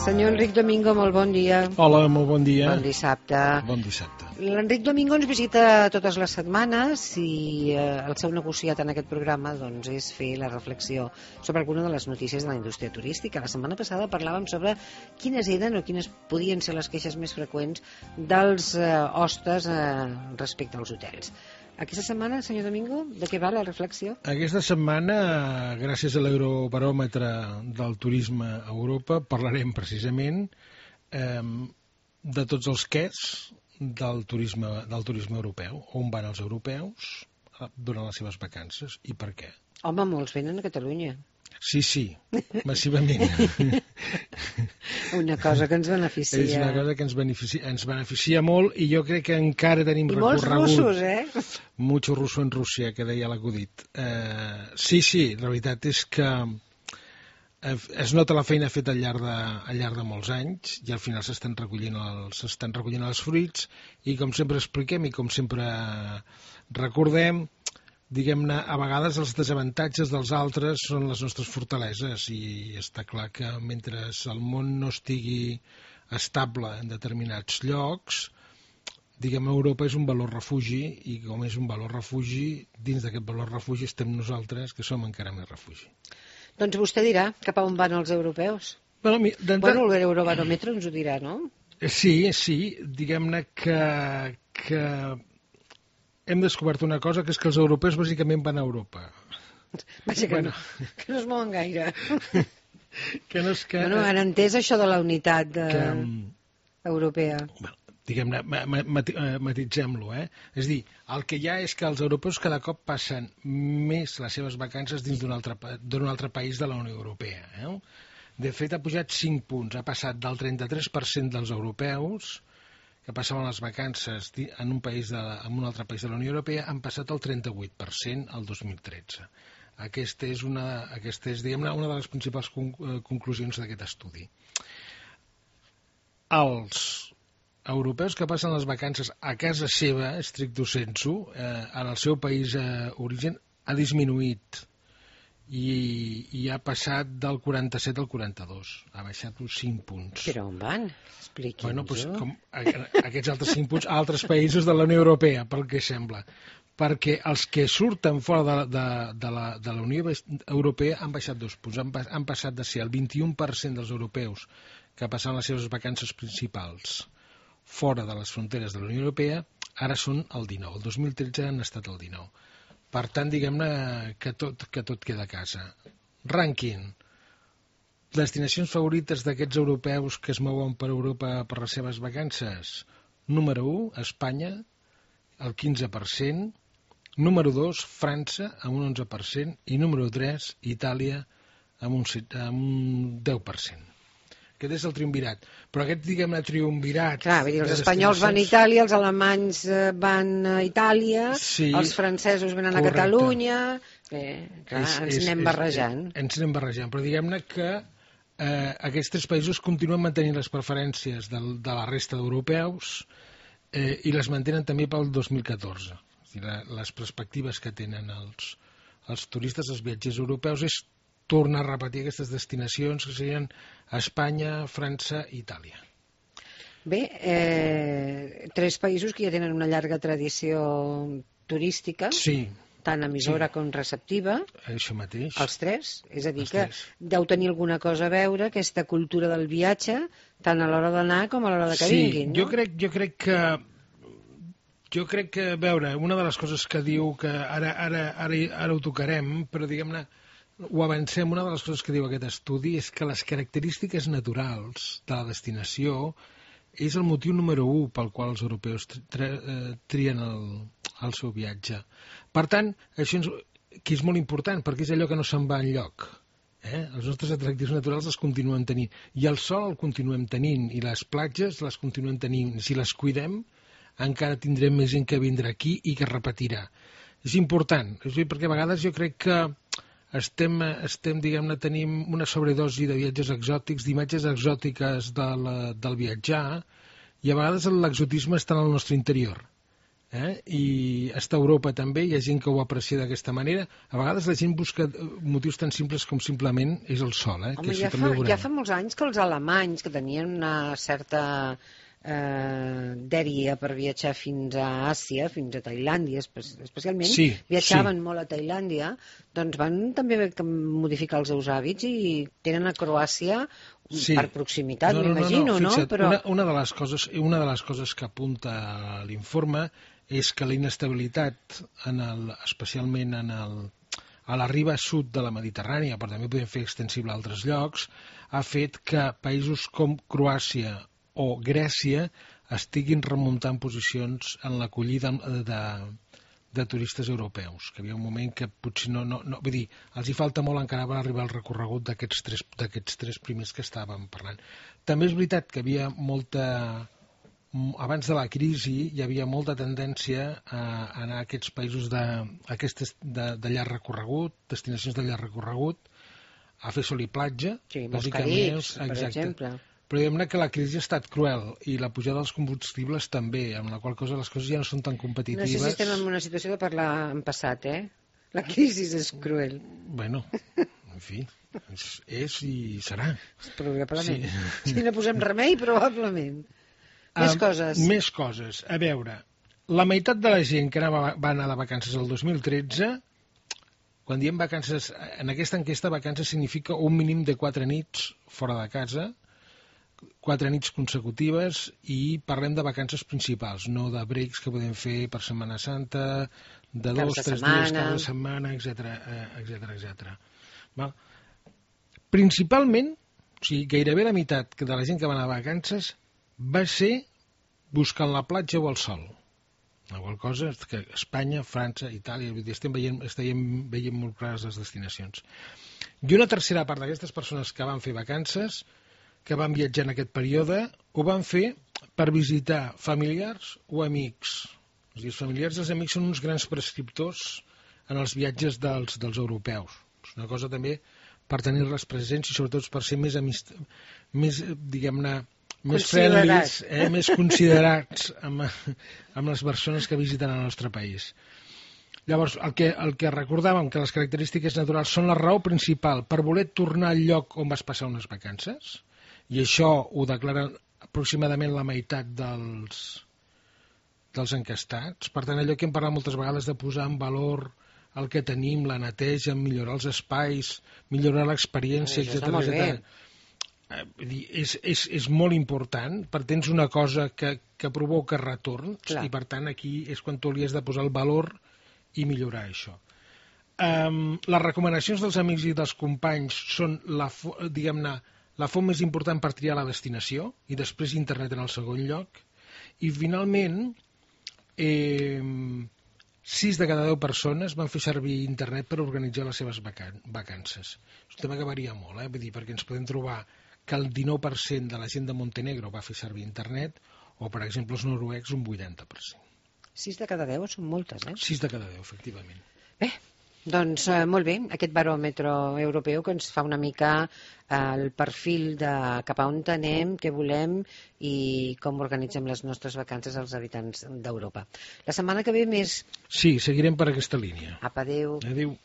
Senyor Enric Domingo, molt bon dia. Hola, molt bon dia. Bon dissabte. Bon dissabte. L'Enric Domingo ens visita totes les setmanes i el seu negociat en aquest programa doncs, és fer la reflexió sobre alguna de les notícies de la indústria turística. La setmana passada parlàvem sobre quines eren o quines podien ser les queixes més freqüents dels hostes respecte als hotels. Aquesta setmana, senyor Domingo, de què va la reflexió? Aquesta setmana, gràcies a l'Eurobaròmetre del turisme a Europa, parlarem precisament de tots els quès del turisme europeu, on van els europeus durant les seves vacances i per què. Home, molts venen a Catalunya. Sí, massivament. Una cosa que ens beneficia. És una cosa que ens beneficia molt i jo crec que encara tenim recorregut. I molts russos, Mucho russo en Rússia, que deia l'acudit. Sí, la veritat és que es nota la feina feta al llarg de molts anys i al final s'estan recollint els fruits i com sempre expliquem i com sempre recordem, diguem-ne, a vegades els desavantatges dels altres són les nostres fortaleses i està clar que mentre el món no estigui estable en determinats llocs, diguem, Europa és un valor refugi i com és un valor refugi, dins d'aquest valor refugi estem nosaltres, que som encara més refugi. Doncs vostè dirà cap a on van els europeus. Bueno, l'Eurobaròmetre ens ho dirà, no? Sí, diguem-ne que hem descobert una cosa, que és que els europeus bàsicament van a Europa. Vaja que no es mouen gaire. Bueno, han entès això de la unitat europea. Diguem-ne, matitzem-lo, És a dir, el que hi ha és que els europeus cada cop passen més les seves vacances dins d'un altre país de la Unió Europea. De fet, ha pujat 5 punts. Ha passat del 33% dels europeus que passaven les vacances en un altre país de la Unió Europea, han passat el 38% el 2013. Aquesta és, diguem-ne, una de les principals conclusions d'aquest estudi. Els europeus que passen les vacances a casa seva, stricto sensu, en el seu país d'origen, ha disminuït i ha passat del 47 al 42. Ha baixat uns 5 punts. Però on van? Expliqui'ns-ho. Aquests altres 5 punts a altres països de la Unió Europea, pel que sembla. Perquè els que surten fora de la Unió Europea han baixat 2 punts. Han passat de ser el 21% dels europeus que passaven les seves vacances principals fora de les fronteres de la Unió Europea, ara són el 19%. El 2013 han estat el 19%. Per tant, diguem-ne que tot queda a casa. Rànquing. Destinacions favorites d'aquests europeus que es mouen per Europa per les seves vacances. Número 1, Espanya, el 15%. Número 2, França, amb un 11%. I número 3, Itàlia, amb un 10%. Aquest és el triumvirat. Però aquest, diguem-ne, triumvirat... Clar, els espanyols van a Itàlia, els alemanys van a Itàlia, els francesos venen a Catalunya... ens anem barrejant. Ens anem barrejant, però diguem-ne que aquests 3 països continuen mantenint les preferències de la resta d'europeus i les mantenen també pel 2014. Les perspectives que tenen els turistes, els viatgers europeus, és tornar a repetir aquestes destinacions que serien Espanya, França i Itàlia. Bé, 3 països que ja tenen una llarga tradició turística, tant emissora com receptiva. Això mateix. Els 3, és a dir que deu tenir alguna cosa a veure aquesta cultura del viatge, tant a l'hora d'anar com a l'hora que vinguin. Jo crec que, a veure, una de les coses que diu que ara ho tocarem, però diguem-ne, ho avancem, una de les coses que diu aquest estudi és que les característiques naturals de la destinació és el motiu número 1 pel qual els europeus trien el seu viatge. Per tant, això que és molt important, perquè és allò que no se'n va enlloc. Els nostres atractius naturals els continuem tenint, i el sol el continuem tenint, i les platges les continuem tenint. Si les cuidem, encara tindrem més gent que vindrà aquí i que repetirà. És important, perquè a vegades jo crec que estem diguem-ne, tenim una sobredosi de viatges exòtics, d'imatges exòtiques del viatjar, i a vegades l'exotisme està en el nostre interior. I està a Europa també, hi ha gent que ho aprecia d'aquesta manera. A vegades la gent busca motius tan simples com simplement és el sol. Home, ja fa molts anys que els alemanys, que tenien una certa dèria per viatjar fins a Àsia, fins a Tailàndia especialment, viatjaven molt a Tailàndia, doncs van també modificar els seus hàbits i tenen a Croàcia per proximitat, m'imagino, no? Però una de les coses que apunta l'informe és que la inestabilitat, especialment a la riba sud de la Mediterrània, però també podem fer extensible a altres llocs, ha fet que països com Croàcia o Grècia estiguin remuntant posicions en l'acollida de turistes europeus, que hi havia un moment que potser vull dir, els hi falta molt encara per arribar al recorregut d'aquests tres primers que estàvem parlant. També és veritat que havia abans de la crisi hi havia molta tendència a anar a aquests països de llarg recorregut, destinacions de llarg recorregut, a fer sol i platja, molts Caribs, per exemple. Però diguem-ne que la crisi ha estat cruel i la pujada dels combustibles també, amb la qual cosa les coses ja no són tan competitives. No sé si estem en una situació de parlar en passat, La crisi és cruel. Bueno, en fi, és i serà. Probablement. Si no posem remei, probablement. Més coses. A veure, la meitat de la gent que va anar de vacances el 2013, quan diem vacances, en aquesta enquesta vacances significa un mínim de 4 nits fora de casa, 4 nits consecutives, i parlem de vacances principals, no de breaks que podem fer per Setmana Santa, de 2, 3 dies cada setmana, etc. Principalment, o sigui, gairebé la meitat de la gent que va anar a vacances va ser buscant la platja o el sol. La qual cosa és que Espanya, França, Itàlia, estem veient molt clares les destinacions. I una tercera part d'aquestes persones que van fer vacances, que van viatjar en aquest període, ho van fer per visitar familiars o amics. Els familiars i els amics són uns grans prescriptors en els viatges dels europeus. És una cosa també per tenir-les presents i sobretot per ser més diguem-ne, més friendlies, més considerats amb les persones que visiten el nostre país. Llavors, el que recordàvem, que les característiques naturals són la raó principal per voler tornar al lloc on vas passar unes vacances, i això ho declaren aproximadament la meitat dels encastats. Per tant, allò que hem parlat moltes vegades de posar en valor el que tenim, la neteja, millorar els espais, millorar l'experiència, etc. És molt important, perquè tens una cosa que provoca retorns, i per tant aquí és quan tu li has de posar el valor i millorar això. Les recomanacions dels amics i dels companys són, diguem-ne, la font més important per triar la destinació, i després internet en el segon lloc. I finalment, 6 de cada 10 persones van fer servir internet per organitzar les seves vacances. És un tema que varia molt, vull dir, perquè ens podem trobar que el 19% de la gent de Montenegro va fer servir internet, o, per exemple, els noruecs un 80%. 6 de cada 10 són moltes, 6 de cada 10, efectivament. Bé, doncs molt bé, aquest baròmetre europeu que ens fa una mica el perfil de cap a on anem, què volem i com organitzem les nostres vacances als habitants d'Europa. La setmana que ve més... Sí, seguirem per aquesta línia. Apa, adéu. Adéu.